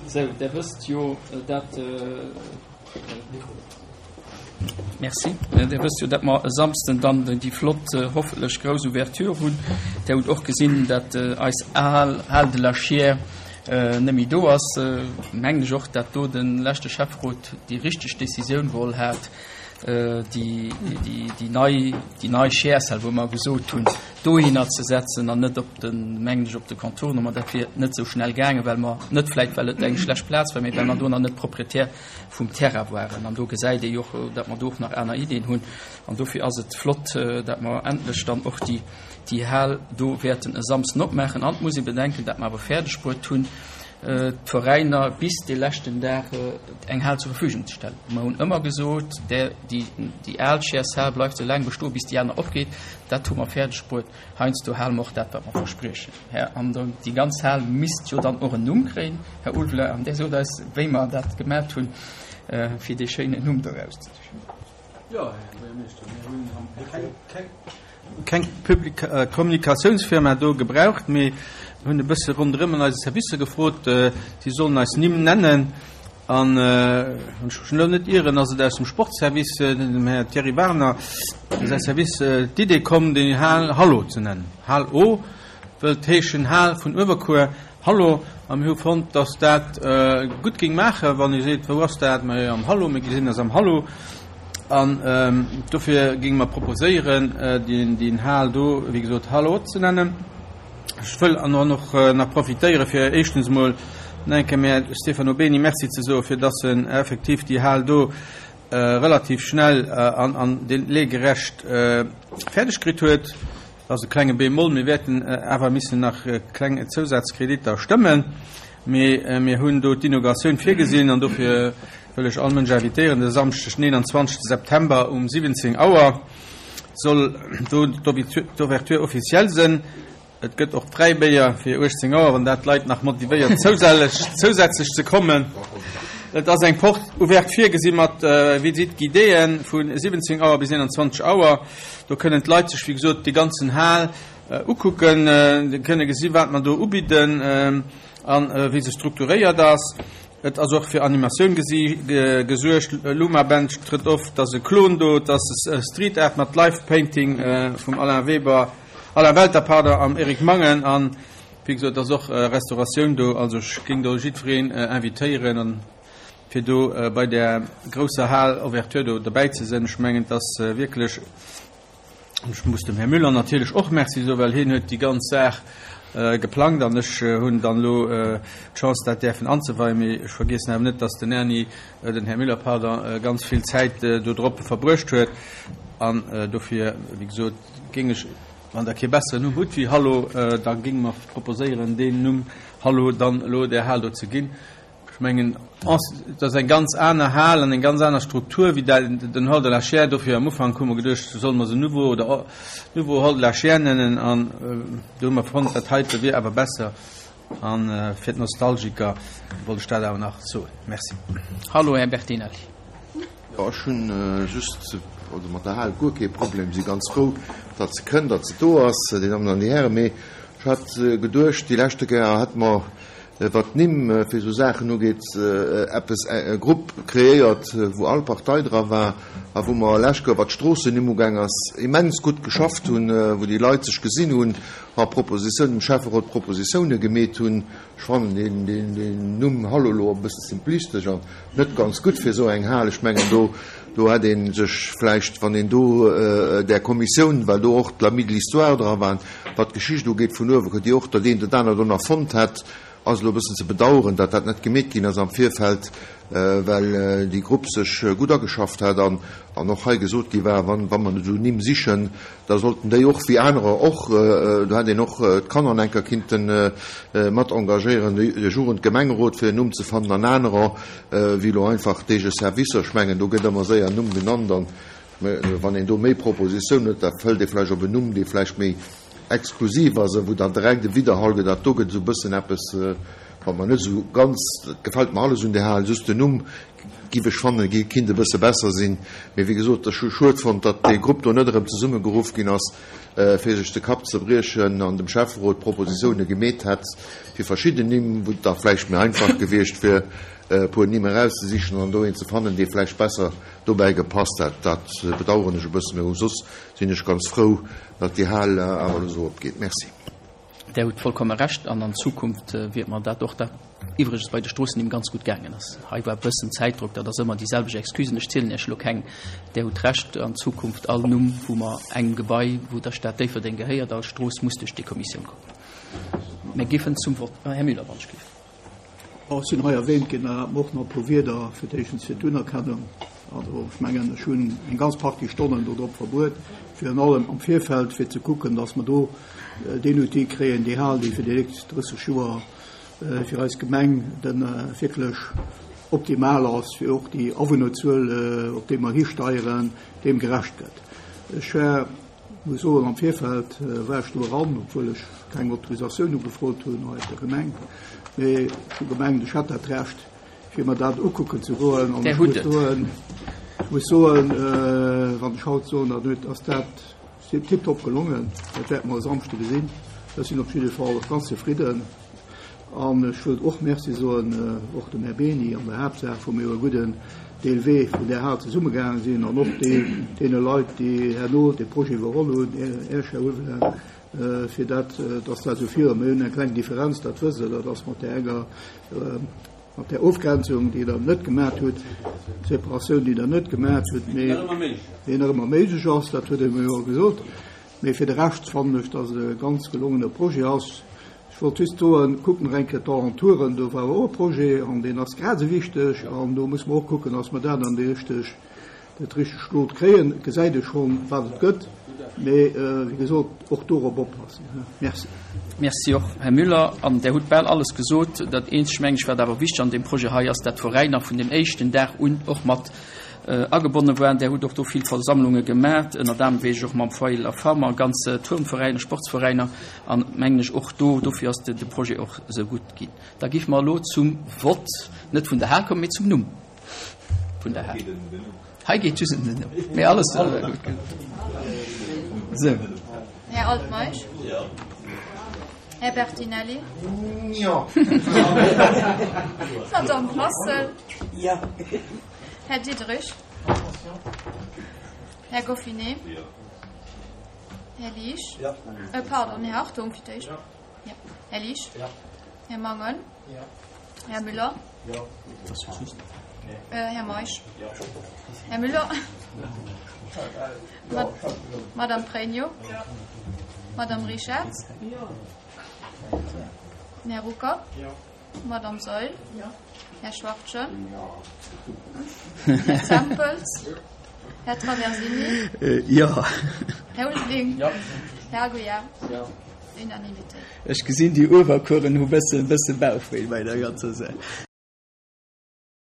Sou, Der wësst jo, dat. Merci. Dir wësst jo, datt mer e Samsden dann déi flott, hoffentlech grouss Ouverture hunn. Dir hutt och gesinn, datt eis al Hal de la Chiers net méi do ass. Mengen ech och, datt do de leschte Schäfferot déi richteg Décisioun geholl hat, déi, déi, déi nei, déi nei Chiers-Hal, wou mer gesot hunn, dohinner ze setzen an net op den, mengen ech, op de Contournement. Dat wier net esou schnell gaangen, well mer, net vläicht well et eng schlecht Plaz war, mee well mer do nach net Proprietär vum Terrain waren. An do gesäit ee jo och, datt mer do och nach aner Iddien hunn. An dofir ass et flott, datt mer endlech dann och déi, déi Hal do wäerten e Samsden opmaachen. An et muss ee bedenken, datt mer awer fäerdeg bruet hunn, d'Veräiner bis dee leschten Dag eng Hal zur Verfügung ze stellen. Mer hunn ëmmer gesot, där, déi, déi al Chairs-Hal bleift esou laang bestoen, bis déi aner opgeet. Dat hu mer fäerdeg bruet. Heiansdo hale mer och dat, wat mer verspriechen. Här, an déi ganz Hal misst jo dann och en Numm kréien, Här Ulveler, an Dir sot eis, wéi mer dat gemat hunn, fir dee schéinen Numm do erauszesichen. Jo, Här Buergermeeschter, mir hunn keng Kommunikatiounsfirma do gebraucht, mee hunn e bësse ronderëm an eise Servicer gefrot, si sollen eis Nimm nennen. An, wann ech mech elo net ieren, ass et aus dem Sportservice, dem Här Thierry Warner säi Service, d'Idee komm, déi Hal Hallo ze nennen. Hal O wëllt heeschen Hal vun Uewerkuer, Hallo. A mir hu fonnt, dass dat gutt géing maachen, wann ee seet, Wou ass dat? Majo, am Hallo, mir gesinn eis am Hallo. An dofir géinge mer proposéieren, déi Hal do, wéi gesot, Hallo ze nennen. Ech wëll an och nach profitéiere fir éischtens emol nach eng Kéier dem Här Stefano Beni Merci ze soen, fir dass en effektiv déi Hal do relativ schnell an an délaigerecht fäerdeg kritt huet. Dat ass e klenge Bémol. Mir wäerten awer missen nach kleng Zousazkreditter stëmmen, mee mir hunn do d'Inauguratioun virgesinn an dofir wëll ech all Mënsch invitéieren, de Samschdeg, den 21. September um 17 Auer soll do d'Ouverture officielle sënn. Et gëtt och Fräibéier fir 18 Auer, wann dat d'Leit nach motivéiert zousätzlech ze kommen. Et ass eng Porte ouverte virgesi mat Visite guidéeën vu 17 Auer bis 21 Auer. Do kënnen d'Leit sech wéi gesot déi ganzen Hal ukucken, kënne gesi wat mer do ubidden a wéi se strukturéiert ass. Et ass och fir Animatioun gesuergt, Luma Band trëtt of, et ass e Klon do, et ass Street Art mat Live Painting vum Alain Weber, Alain Welter, pardon, am Eric Mangen an wéi gesot et ass och Restauratioun do. Also ech géing do jiddwereen invitéieren an fir do bei där grousser Hal Ouverture do dobäi ze sinn. Ech mengen et ass wierklech An ech muss dem Här Müller natierlech och Merci soen, well hien huet déi ganz Saach geplangt an ech hunn dann elo d'Chance, dat däerfen anzeweien. Mee ech vergiessen awer net, dass den Erni, den Här Müller, pardon, ganz vill Zäit dodrop verbruecht huet. An dofir, wéi gesot, géing ech, wann Der kee besseren Numm hutt wéi Hallo, da géinge mer proposéieren, deen Numm Hallo dann elo där Hal do ze ginn. Ech mengen, et ass eng ganz aner Hal an eng ganz aner Struktur wéi den Hall de la Chaire. Dofir am Ufank hu mer geduecht, solle mer se Nouveau oder Nouveau Hall de la Chaire nennen. An do hu mer fonnt, dat heite wier awer besser. A fir d'Nostalgiker wollt ech dat awer nach soen. Merci. Hallo, Här Bertinelli. Jo, ech hunn just, also mat der Hal guer kee Problem, si ganz frou, datt se kënnt, datt se do ass, Dir Dammen an Dir Hären. Mee ech hat geduecht, déi leschte Kéier hätte mer Wat d'Nimm fir esou Saachen ugeet, eppes, e Grupp kreéiert, wou all Partei dra war a wou mer lech Joer, wat d'Stroossennimm ugaang ass, immens gutt geschafft hunn, wou déi Leit sech gesinn hunn a Propositiounen, dem Schäfferot Propositioune gemeet hunn. Ech fannen deen, deen Numm Hallo elo e bësse simplistesch an net ganz gutt fir esou eng Hal. Ech mengen, do, do hätt ee sech vläicht, wann een do där Kommissioun, well do och d'Amis de l'Histoire dra waren, Wat d'Geschicht ugeet vun Uewerkuer, déi och dat eent oder anert do nach fonnt hätt, ass elo e bëssen ze bedauern, datt dat net gemeet ginn ass am Virfeld, well déi Grupp sech gutt ageschafft hat an an och hei gesot gi war, wann wa mer esou Nimm sichen, da sollten déi och wéi anerer och, do hätt een och d'Kanner an enker kinnten mat engagéieren, de Jugendgemengerot fir en Numm ze fannen an anerer wéi elo einfach d'eege Servicer. Ech mengen, do gëtt ëmmer séier en Numm genannt an Mä wann een do méi Propositiounen huet, da fëllt ee vläicht op en Numm, dee vläicht méi exklusiv ass a wou dann direkt e Widderhall gëtt. Dat do gëtt esou e bëssen eppes. Wat mer net esou ganz, dat gefält mer alles un där Hal, just den Numm giff ech fannen, kinnt e bësse besser sinn. Mee wéi gesot, ech hu schued fonnt, datt dee Grupp do net erëm zesummegeruff ginn ass, fir sech de Kapp ze briechen an dem Schäfferot Propositioune gemeet hätt fir verschidden Nimm, wou et da vläicht méi einfach gewiescht wier, e puer Nimm erauszesichen an do een ze fannen, dee vläicht besser dobäi gepasst hätt. Dat bedauern ech e bëssen, mee soss sinn ech ganz frou, datt déi Hal awer elo esou opgeet. Merci. Där hutt vollkomme Recht an an Zukunft wiert mer dat och, dat iwwregens bei de Stroossennimm ganz gutt gaangen ass. Hei war e bëssen Zäitdrock, dat ass ëmmer déi selwecht Excusen. Ech zielen Iech elo keng. Där hutt Recht, an Zukunft all Numm, wou mer engem Gebai, wou der Stad Déifferdeng gehéiert, all Strooss muss duerch déi Kommissioun kommen. Mir géifen zum Vott. Här Müller, wann ech géif. Ech sinn hei erwähnt ginn, erlaabt mer och nach e puer Wierder fir d'éischtens fir d'Unerkennung. Also ech mengen, ech hunn eng ganz Partie Stonnen do drop verbruet, virun allem am Virfeld, fir ze kucken, dass mer do deen Outil kréien, déi Hal, déi fir déi nächst 30 Joer fir eis Gemeng de wierklech optimal ass, fir och déi Awunnerzuel, op déi mer histeieren, deem gerecht gëtt. Ech war Muss soen, am Virfeld war ech do eran, obwuel ech keng Autorisatioun ugefrot hunn hei op der Gemeng, mee ech hu gemengt, ech hätt dat Recht, fir mer dat ukucken ze goen. An ech muss soen, ech muss soen, wann ech haut soen, dann huet, ass dat tiptop gelongen. Dat wäerte mer e Samschde gesinn. Ech sinn op jidde Fall ganz zefridden. An ech wëllt och Merci soen, och dem Här Beni an der Haaptsaach, wou mir jo e gudden Deel Wee vun där Hal zesummegaange sinn, an och deene Leit, déi herno dee Projet iwwerholl hunn, Iech, Här Ulveling, fir dat, dass dat esou virun. Mir hunn eng kleng Differenz, dat wësst Der, dat ass mat där enger, mat där Ofgrenzung, déi Der net gemat hutt, d'Separatioun, déi Der net gemat hutt, mee déi nach ëmmer méiglech ass, dat huet ee mer jo gesot. Mee fir de Rescht fannen ech, dass et e ganz gelongene Projet ass. Ech wollt just soen, kuckt nach eng Kéier d'Alentouren, do war och e Projet an deen ass grad esou wichteg an do musse mer och kucken, dass mer dat an déi richteg, dat richtegt Lot kréien. Et gesäit ee schonn, wat et gëtt, mee wéi gesot, och dorop oppassen. Merci. Merci och, Här Müller. An Der hutt bal alles gesot. Dat eenzegt, meng ech, wat awer wichteg an deem Projet hei ass, dat d'Veräiner vun dem éischten Dag un och mat Agebonne waren. Där hutt och do vill Versammlunge gemat, ënnert anerem weess ech och mam Foyer La Femme a ganz Turnveräiner, Sportsveräiner an mengen ech och do. Dofir ass de Projet och esou gutt ginn. Da géife mer elo zum Vott, net vun der Hal kommen, mee zum Numm vun der Hal. Hei geet just ëm den Numm, mee alles gutt. Esou. Här Altmeisch? Här Bertinelli? Jo. Madame Brassel? Jo. Här Diderich. Här Goffinet. Här Liesch. Äh, pardon, Här Hartung fir d'éischt. Ja. Här Liesch. Här Mangen. Här Müller. Äh, Här Meisch. Här Müller. Ma Madame Pregno. Madame Richard. Här Rucker. Madame Saeul. Här Schwachtgen. Här Zempels. Här Traversini. Jo. Här Ulveling. Här Aguiar. Unanimitéit. Ech gesinn, déi Uewerkueren hu bësse bësse Bauchwéi bei der ganzer Saach.